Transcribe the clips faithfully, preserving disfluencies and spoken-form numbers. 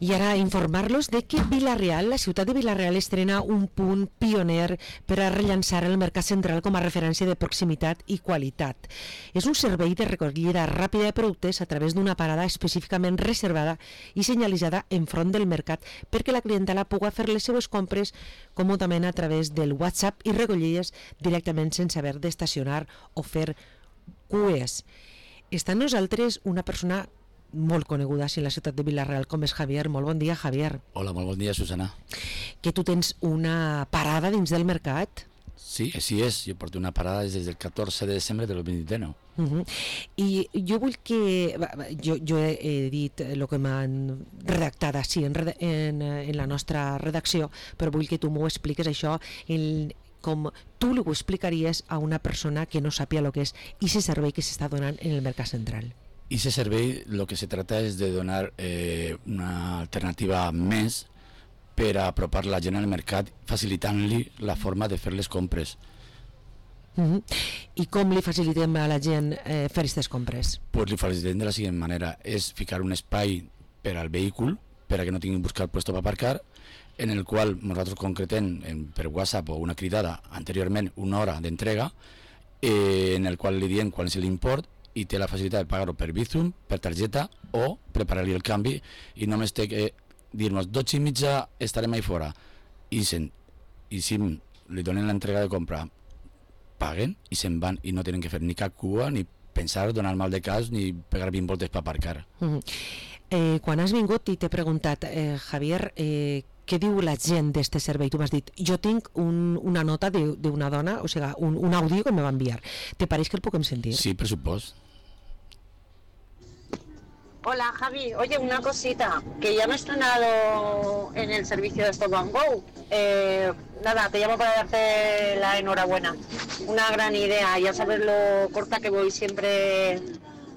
I ara informar-los de que Vila-real, la ciutat de Vila-real estrena un punt pioner per a rellançar el mercat central com a referència de proximitat i qualitat. És un servei de recollida ràpida de productes a través d'una parada específicament reservada i senyalitzada enfront del mercat perquè la clientela pugui fer les seues compres còmodament a través del WhatsApp i recollides directament sense haver d'estacionar o fer cues. Està amb nosaltres una persona molt coneguda en la ciutat de Vila-real com és Javier. Molt bon dia, Javier. Hola, molt bon dia, Susana. Que tu tens una parada dins del mercat? Sí, així és. Jo porto una parada des del catorze de desembre del vint dinou. Uh-huh. I jo vull que... Jo, jo he, he dit el que m'han redactat així en, en, en la nostra redacció, però vull que tu m'ho expliques això en, com tu li ho explicaries a una persona que no sàpia el que és aquest servei que s'està donant en el mercat central. I ese servei lo que se trata es de donar eh, una alternativa més per a apropar la gent al mercat, facilitant-li la forma de fer les compres. Uh-huh. I com li facilitem a la gent eh, fer aquestes compres? Pues li facilitem de la següent manera, és ficar un espai per al vehícul, per a que no tinguin buscar puesto per aparcar, en el qual nosaltres concretem en, per WhatsApp o una cridada anteriorment una hora d'entrega, eh, en el qual li diem qual és l'import, i té la facilitat de pagar-ho per Bizum, per targeta o preparar-li el canvi i només té que dir-nos dotze i mitja estarem ahí fora i, sen, i si li donen l'entrega de compra paguen i se'n van i no tenen que fer ni cap cua ni pensar, donar mal de cas ni pegar vint voltes per aparcar. Mm-hmm. eh, quan has vingut i t'he preguntat eh, Javier, eh, què diu la gent d'este servei? Tu m'has dit, jo tinc un, una nota d'una dona, o sigui, un, un àudio que me va enviar. ¿Te pareix que el puguem sentir? Sí, por supuesto. Hola Javi, oye, una cosita, que ya me he estrenado en el servicio de Stop and Go. Eh, nada, te llamo para darte la enhorabuena. Una gran idea, ya sabes lo corta que voy siempre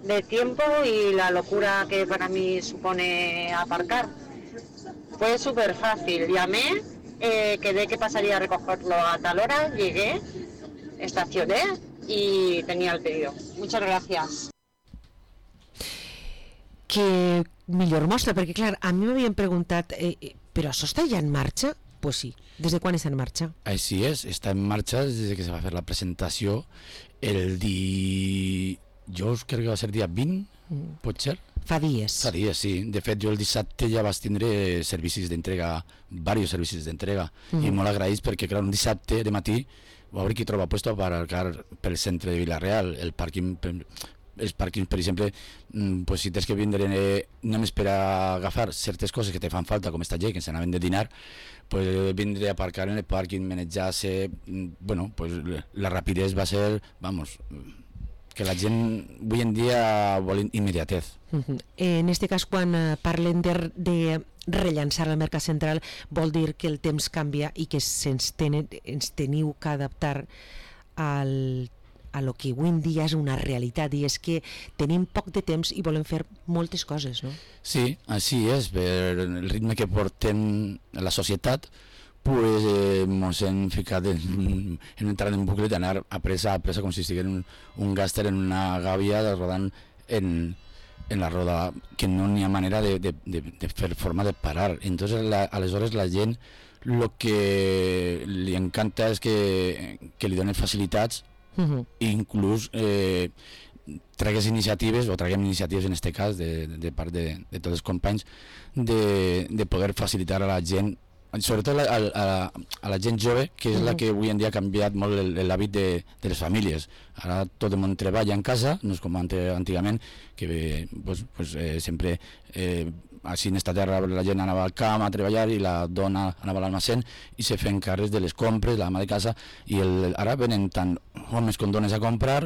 de tiempo y la locura que para mí supone aparcar. Fue súper fácil, llamé, eh, quedé que pasaría a recogerlo a tal hora, llegué, estacioné y tenía el pedido. Muchas gracias. Que millor mostra, perquè clar, a mi m'havien preguntat, eh, eh, però això està ja en marxa? Pues sí. Des de quan està en marxa? Així és, està en marxa des que se va fer la presentació el di... jo crec que va ser dia vint, mm. pot ser? Fa dies. Fa dies, sí. De fet, jo el dissabte ja vaig tindre servicis d'entrega, diversos servicis d'entrega, mm. i molt agraïts perquè, clar, un dissabte de matí va veure qui troba puesto per aparcar pel centre de Vila-real. El pàrquing, els pàrquings, per exemple, pues, si tens que vindre eh, només per a agafar certes coses que te fan falta, com esta gent, que s'anaven de dinar, pues, vindre a aparcar en el pàrquing, manejar-se, bueno, pues, la rapidesa va ser, vamos... que la gent avui en dia vol immediatez. Uh-huh. En este cas, quan uh, parlen de, de rellançar el mercat central, vol dir que el temps canvia i que se'ns tenen, ens teniu que adaptar al, a lo que avui en dia és una realitat, i és que tenim poc de temps i volem fer moltes coses, no? Sí, així és, per el ritme que portem a la societat, pues eh, mos hem ficat en, en entrar en un bucle d'anar a pressa a pressa com si estigués un, un gàster en una gàbia rodant en, en la roda, que no n'hi ha manera de, de, de, de fer forma de parar. Entonces la, aleshores la gent lo que li encanta és que, que li donen facilitats, uh-huh. inclús eh, tragues iniciatives, o traguem iniciatives en este cas de, de, de part de, de tots els companys, de, de poder facilitar a la gent, sobretot a, a, a la gent jove, que és la que avui en dia ha canviat molt l'hàbit de, de les famílies. Ara tot el món treballa en casa, no és com antigament, que pues, pues, eh, sempre eh, així en esta terra la gent anava al camp a treballar i la dona anava a l'almacén i se feien càrrecs de les compres, la ama de casa, i el, ara venen tant homes com dones a comprar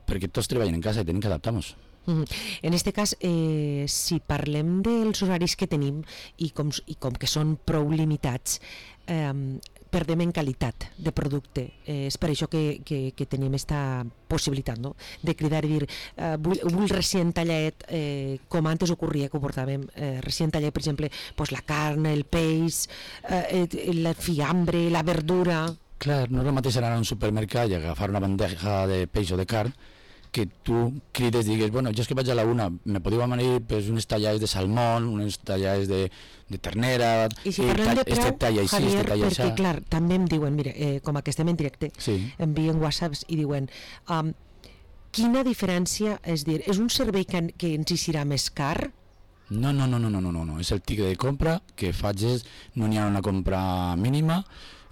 perquè tots treballen en casa i tenim que adaptar-nos. En aquest cas, eh, si parlem dels horaris que tenim i com, i com que són prou limitats, eh, perdem en qualitat de producte. Eh, és per això que, que, que tenim aquesta possibilitat, no? De cridar i dir eh, vull, vull recient tallet, eh, com antes ocorria que ho portàvem, eh, recient tallet, per exemple, pues la carn, el peix, eh, el fiambre, la verdura... Clar, no és el mateix anar a un supermercat i agafar una bandeja de peix o de carn que tu crides i digues, bueno, jo és que vaig a la una, me podeu amanir pues, unes tallades de salmón, unes tallades de, de ternera, i si parlem de preu, este talla així, Javier, este talla perquè així. clar, també em diuen, mira, eh, com que estem en directe, Sí. envien whatsapps i diuen um, quina diferència, és dir, és un servei que, que ens hi serà més car? No, no, no, no, no, no, no, no, és el tiquet de compra que faig, és, no n'hi ha una compra mínima,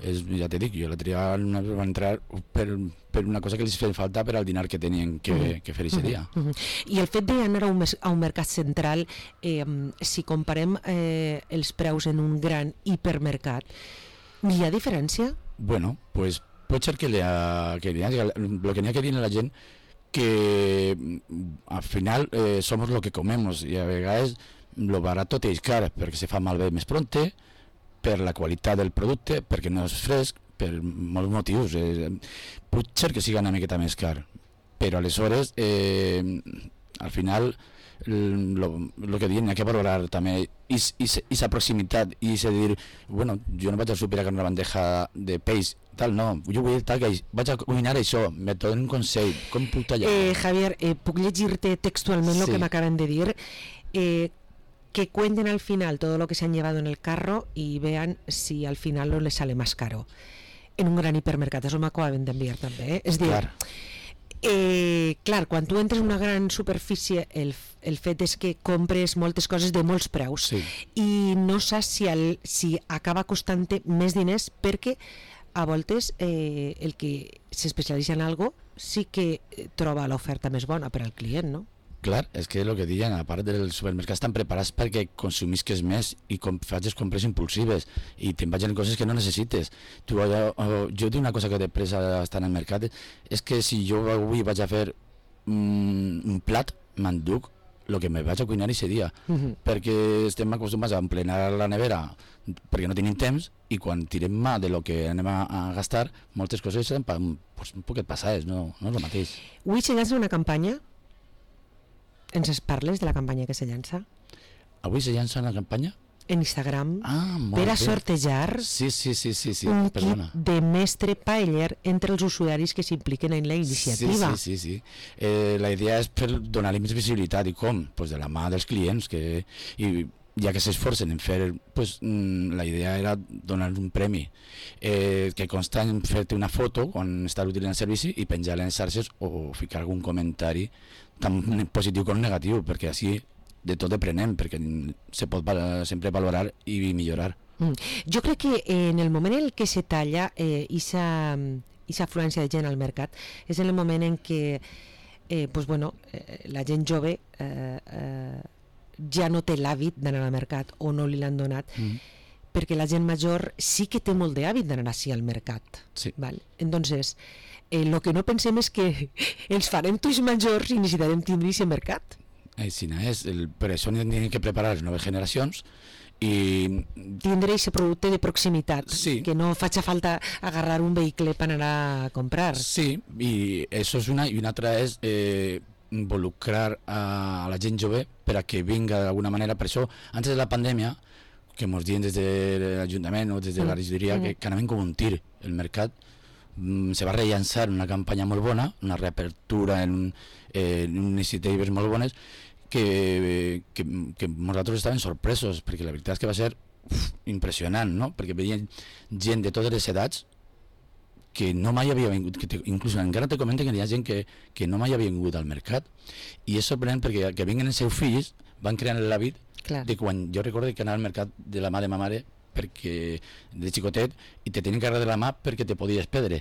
és, ja t'he dit, jo l'altre dia va entrar per, per una cosa que els feia falta per al dinar que tenien que, mm-hmm. que fer aquest dia. Mm-hmm. I el fet d'anar a, un, a un mercat central, eh, si comparem eh, els preus en un gran hipermercat, hi ha diferència? Bueno, pues pot ser que, ha, que ha, lo que n'hi ha que dir a la gent que al final eh, somos lo que comemos i a vegades lo barato te és car perquè se fa malbé més pronte, per la qualitat del producte, perquè no és fresc, per molts motius. Eh, pot ser que siga una miqueta més car, però aleshores eh, al final lo, lo que diuen, hi ha que valorar també aquesta proximitat i de dir, bueno, jo no vaig al súper a una bandeja de peix tal, no, jo vull tal que vaig a cuinar això, me donen un consell, com puc tallar? Eh, Javier, eh, puc llegir-te textualment sí. Lo que m'acaben de dir, eh, que cuenten al final todo lo que se han llevado en el carro y vean si al final no les sale más caro en un gran hipermercat, això m'acaben d'enviar també, eh? És dir, clar. Eh, clar, quan tu entres en una gran superfície el, el fet és que compres moltes coses de molts preus sí. i no saps si, el, si acaba costant-te més diners perquè a voltes eh, el que s'especialitza en algo sí que troba l'oferta més bona per al client, no? Clar, és que el que diuen, a part dels supermercats estan preparats perquè consumisques més i com facis compres impulsives i te'n vagin coses que no necessites. Tu, jo, jo dic una cosa que he après estant al mercat, és que si jo avui vaig a fer mm, un plat, m'enduc el que me vaig a cuinar aquest dia, uh-huh. perquè estem acostumats a emplenar la nevera perquè no tenim temps i quan tirem mà de lo que anem a, a gastar, moltes coses són pues, un poquet passades, no, no és el mateix. Avui se llança una campanya. Ens es parles de la campanya que se llança? Avui se llança una campanya? En Instagram, ah, per a bé. sortejar sí, sí, sí, sí, sí. un Perdona. kit de mestre paeller entre els usuaris que s'impliquen en la iniciativa. Sí, sí, sí, sí. Eh, la idea és per donar-li més visibilitat. I com? Pues de la mà dels clients, que i ja que s'esforcen en fer, pues, la idea era donar un premi eh, que consta en fer-te una foto quan estàs utilitzant el servici i penjar-la en les xarxes o ficar algun comentari tant positiu com negatiu, perquè així de tot aprenem, perquè se pot sempre valorar i millorar. Mm. Jo crec que en el moment en què se talla eh, esa, esa afluència de gent al mercat és en el moment en què eh, pues bueno, eh, la gent jove eh, eh, ja no té l'hàbit d'anar al mercat o no li l'han donat, mm. perquè la gent major sí que té molt d'hàbit d'anar així al mercat. Sí. Val? Entonces, eh, lo que no pensem és que ens farem tots majors i necessitarem tindre aquest mercat. Així és, el, per això hem que preparar les noves generacions i tindre aquest producte de proximitat, sí. que no faci falta agarrar un vehicle per anar a comprar. Sí, i això és una, i una altra és eh, involucrar a la gent jove per a que vinga d'alguna manera. Per això, antes de la pandèmia, que ens diuen des de l'Ajuntament o des de la regidoria mm. que, que anaven com un tir el mercat, mm, se va rellançar una campanya molt bona, una reapertura en, eh, en iniciatives molt bones, que, que, que nosaltres estàvem sorpresos, perquè la veritat és que va ser uf, impressionant, no? Perquè veien gent de totes les edats que no mai havia vingut, que te, inclús encara te comenten que hi ha gent que, que no mai havia vingut al mercat, i és sorprenent perquè que vinguen els seus fills van creant l'hàbit de quan jo recordo que anava al mercat de la mà de ma mare perquè de xicotet i te tenien que agarrar de la mà perquè te podies perdre.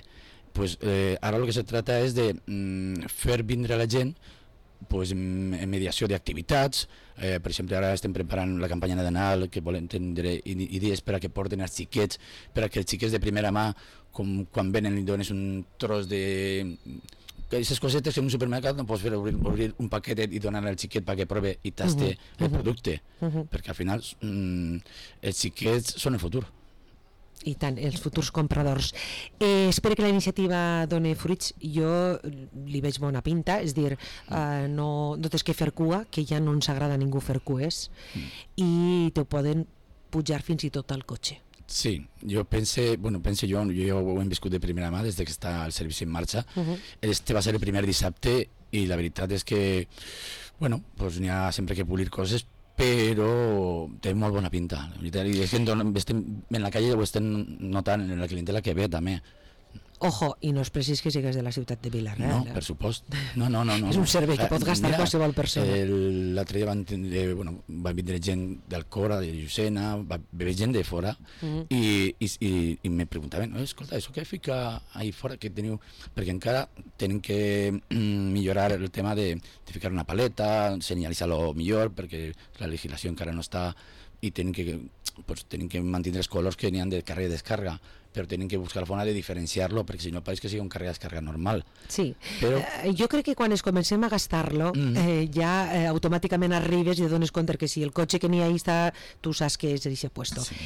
Pues, eh, ara el que se trata és de mm, fer vindre la gent pues, en, en mediació d'activitats, eh, per exemple ara estem preparant la campanya de Nadal que volem tindre idees per a que porten els xiquets, per a que els xiquets de primera mà, com quan venen li dones un tros de... Aquestes cosetes que en un supermercat no pots fer obrir, obrir un paquet i donar al xiquet perquè prove i taste uh-huh, el producte, uh-huh. perquè al final mm, els xiquets són el futur. I tant, els futurs compradors. Eh, espero que la iniciativa doni fruits. Jo li veig bona pinta, és dir, eh, no, no tens que fer cua, que ja no ens agrada a ningú fer cues, mm. i te ho poden pujar fins i tot al cotxe. Sí, jo pense, bueno, pense jo, jo ho hem viscut de primera mà des que està el servici en marxa. Uh-huh. Este va ser el primer dissabte i la veritat és que, bueno, pues n'hi ha sempre que polir coses, però té molt bona pinta. I és que estem, en la calle ho estem notant en la clientela que ve també. Ojo, i no és precís que sigues de la ciutat de Vila-real. No, per supost. No, no, no, no. És un servei que pot gastar Mira, qualsevol persona. L'altre dia van, tindre, bueno, va vindre gent d'Alcora, de Llucena, va haver gent de fora, uh-huh. i, i, i, i me preguntaven, escolta, això què fica ahí fora que teniu? Perquè encara tenen que mm, millorar el tema de, de ficar una paleta, senyalitzar-lo millor, perquè la legislació encara no està, i tenen que, pues, tenen que mantenir els colors que n'hi ha de càrrega i descàrrega, però tenen que buscar la forma de diferenciar-lo, perquè si no pareix que sigui un càrrega i descàrrega normal. Sí, però... eh, jo crec que quan es comencem a gastar-lo, mm. eh, ja eh, automàticament arribes i et dones compte que si el cotxe que n'hi ha està, tu saps que és d'aquest puesto. Sí.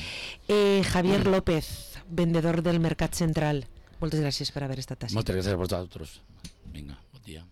Eh, Javier mm. López, vendedor del Mercat Central, moltes gràcies per haver estat així. Moltes gràcies a vosaltres. Vinga, bon dia.